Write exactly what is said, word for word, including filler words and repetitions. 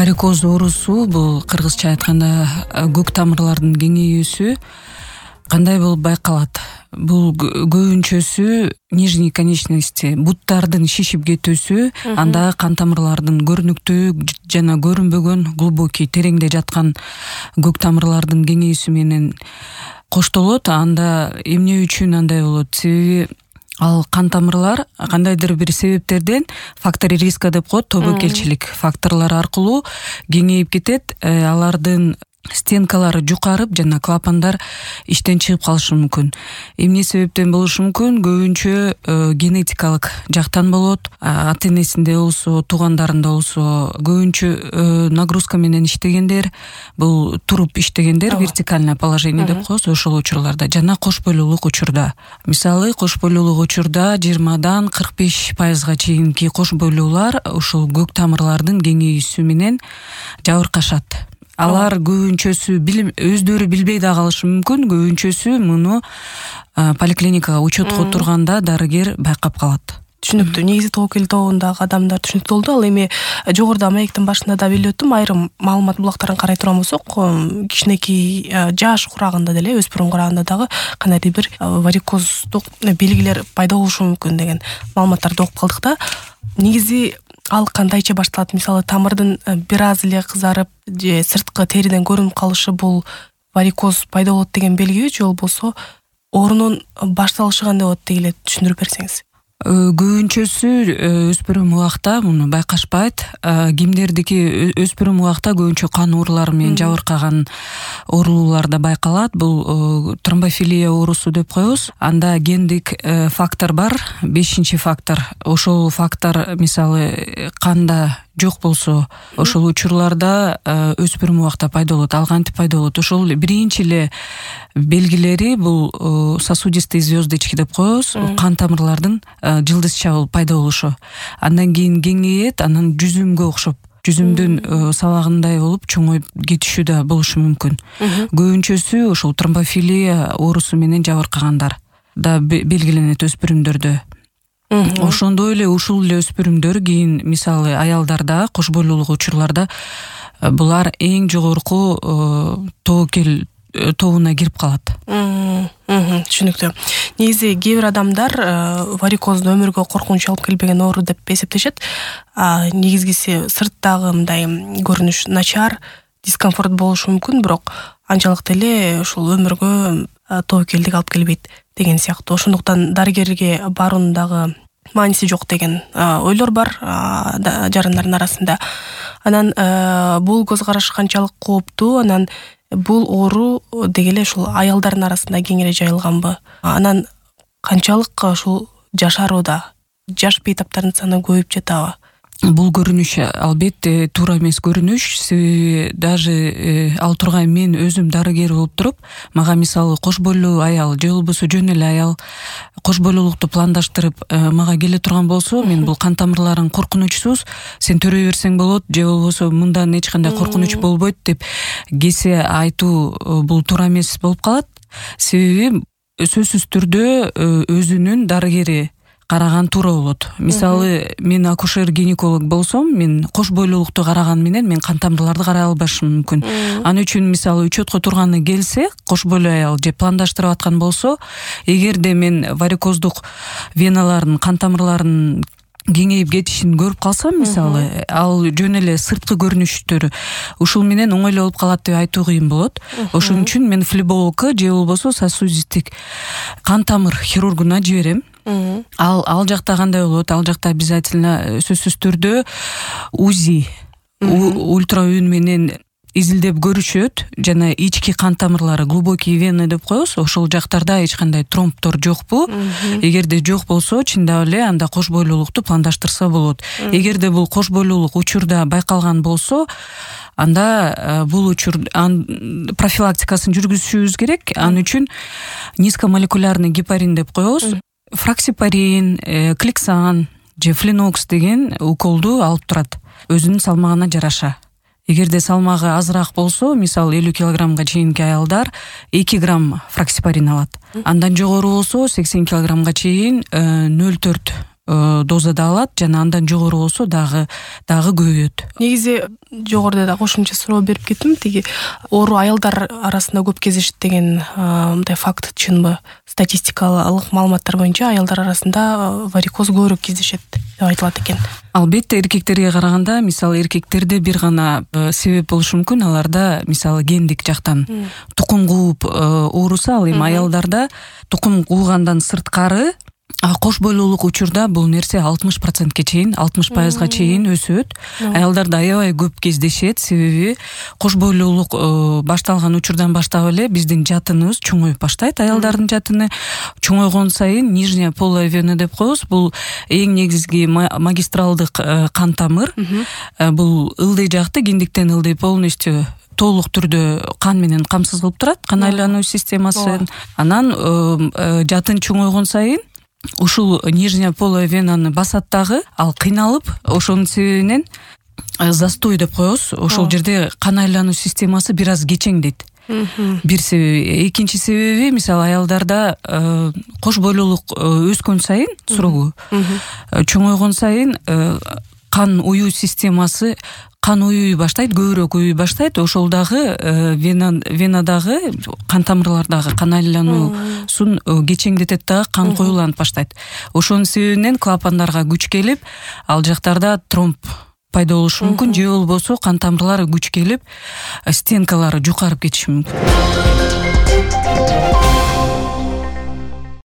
Варикоз оорусу бул кыргызча айтканда көк тамырлардын кеңейүүсү кандай болуп байкалат? Бул көбүнчөсү нижний конечности, буттардын шишип кетүүсү, анда кан тамырлардын көрүнүктүү жана көрүнбөгөн глубокий тереңде жаткан көк тамырлардын кеңейүүсү менен коштолот. Анда эмне үчүн андай болот? Себеби ал кан тамырлар кандайдыр бир себептерден фактор риска деп коет, тобокелчилик факторлор аркылуу кеңейип кетет. Алардын стенкалары жукарып жана клапандар иштен чыгып калышы мүмкүн. Эмне себептен болушу мүмкүн? Көбүнчө генетикалык жактан болот. Ата-энесинде болсо, туугандарында болсо, көбүнчө нагрузка менен иштегендер, бул туруп иштегендер, вертикальное положение деп коебуз, ошол учурларда жана кош бойлуулук учурда. Мисалы, кош бойлуулук учурда жыйырмадан кырк беш пайызга чейинки кош бойлуулар ушул көк тамырлардын кеңейүүсү менен жабыркашат. Алар көбүнчөсү өздөрү билбей да калышы мүмкүн, көбүнчөсү муну поликлиникага учетко турганда дарыгер байкап калат. Түшүнүктүү. Негизи тобокел тобундагы адамдар түшүнүктүү болду. Ал эми жогоруда маектин башында да билип өттүм, айрым маалымат булактарын карай турган болсок, кичинекей жаш курагында деле, өспүрүм курагында дагы кандайдыр бир варикоздук белгилер пайда болушу мүмкүн деген маалыматтарды окуп калдык да. Негизи ал кандайча башталат? Мисалы, тамырдын бир аз эле кызарып же сырткы териден көрүнүп калышы бул варикоз пайда болот деген белгиби, же болбосо оорунун башталышы кандай болот дегиле түшүндүрүп берсеңиз. Көбүнчөсү өспүрүм убакта муну байкашпайт. Кимдердики өспүрүм убакта көбүнчө кан оорулары менен жабыркаган оорулууларда байкалат. Бул тромбофилия оорусу деп коебуз. Анда гендик фактор бар, бешинчи фактор. Ошол фактор мисалы канда жок болсо, ошол учурларда өспүрүм убакта пайда болот. Ал кантип пайда болот? Ошол биринчи эле белгилери бул сосудистые звездочки деп коебуз, кан тамырлардын жылдызча болуп пайда болушу. Андан кийин кеңейет, анан жүзүмгө окшоп, жүзүмдүн сабагындай болуп чоңоюп кетишү да болушу мүмкүн. Көбүнчөсү ошол тромбофилия оорусу менен жабыркагандар да белгиленет өспүрүмдөрдө. Ошондой эле ушул эле өспүрүмдөр кийин мисалы аялдарда, кош бойлуулук учурларда булар эң жогорку тобокел тобуна кирип калат. Түшүнүктүү. Негизи кээ бир адамдар варикозду өмүргө коркунуч алып келбеген оору деп эсептешет. Негизгиси сырттагы мындай көрүнүш начар, дискомфорт болушу мүмкүн, бирок анчалык деле ушул өмүргө тобокелдик алып келбейт деген сыяктуу. Ошондуктан дарыгерге баруунун дагы мааниси жок деген ойлор бар жарандардын арасында. Анан бул көз караш канчалык кооптуу, анан бул оору дегеле ушул аялдардын арасында кеңири жайылганбы? Анан канчалык ушул жашарууда жаш бейтаптардын саны көбөйүп жатабы? Бул көрүнүш албетте туура эмес көрүнүш. Себеби даже ал тургай мен өзүм дарыгер болуп туруп, мага мисалы кош бойлуу аял же болбосо жөн эле аял кош бойлуулукту пландаштырып мага келе турган болсо, мен бул кан тамырларың коркунучсуз, сен төрөй берсең болот, же болбосо мындан эч кандай коркунуч болбойт деп кесе айтуу бул туура эмес болуп калат. Себеби сөзсүз түрдө өзүнүн дарыгери караган туура болот. Мисалы, мен акушер-гинеколог болсом, мен кош бойлуулукту караган менен мен кан тамырларды карай албашым мүмкүн. Аны үчүн мисалы учетко турганы келсе, кош бойлуу аял же пландаштырып аткан болсо, эгерде мен варикоздук веналардын, кан тамырларынын кеңейип кетишин көрүп калсам, мисалы, ал жөн эле сырткы көрүнүштөрү ушул менен оңой эле болуп калат деп айтуу кыйын болот. Ошон үчүн мен флебологко же болбосо сосудистик кан тамыр хирургуна жиберем. Ал ал жакта кандай болот? Ал жакта обязательно сөзсүз түрдө УЗИ, ультраүн менен изилдеп көрүшөт жана ички кан тамырлары, глубокий вены деп коебуз, ошол жактарда эч кандай тромбтор жокпу? Эгерде жок болсо, чындап эле анда кош бойлуулукту пландаштырса болот. Эгерде бул кош бойлуулук учурда байкалган болсо, анда бул учур профилактикасын жүргүзүшүбүз керек. Ал үчүн низкомолекулярный гепарин деп коебуз. Фраксипарин, кликсан же флинокс деген уколду алып турат, өзүнүн салмагына жараша. Эгерде салмагы азыраак болсо, мисалы элүү килограммга чейинки аялдар эки грамм фраксипарин алат. Андан жогору болсо сексен килограммга чейин нөл төрт дозада алат жана андан жогору болсо дагы дагы көбөйөт. Негизи жогоруда да кошумча суроо берип кеттим, тиги оору аялдар арасында көп кездешет деген мындай факт чынбы? Статистикалык маалыматтар боюнча аялдар арасында варикоз көбүрөөк кездешет деп айтылат экен. Албетте эркектерге караганда, мисалы эркектерде бир гана себеп болушу мүмкүн, аларда мисалы гендик жактан тукум кууп оорусу, ал эми аялдарда тукум куугандан сырткары кош бойлуулук учурда бул нерсе алтымыш процентке чейин, алтымыш пайызга чейин өсөт. Аялдарда аябай көп кездешет, себеби кош бойлуулук башталган учурдан баштап эле биздин жатыныбыз чоңоюп баштайт. Аялдардын жатыны чоңойгон сайын нижняя полая вена деп коебуз. Бул эң негизги магистралдык кан тамыр. Бул ылдый жакты, киндиктен ылдый полностью толук түрдө кан менен камсыз кылып турат, кан айлануу системасын. Анан жатын чоңойгон сайын ушул нижняя полая венаны басат дагы, ал кыйналып, ошонун себебинен застой деп коебуз. Ошол жерде кан айлануу системасы бир аз кечеңдейт. Бир себеби. Экинчи себеби, мисалы аялдарда кош бойлуулук өскөн сайын, сурогу чоңойгон сайын кан уюу системасы кан уюуй баштайт, көбүрөөк уюуй баштайт. Ошол дагы венадагы, кан тамырлардагы кан айлануусун кечеңдетет дагы, кан коюланып баштайт. Ошонун себебинен клапандарга күч келип, ал жактарда тромб пайда болушу мүмкүн, же болбосо кан тамырлары күч келип, стенкалары жукарып кетиши мүмкүн.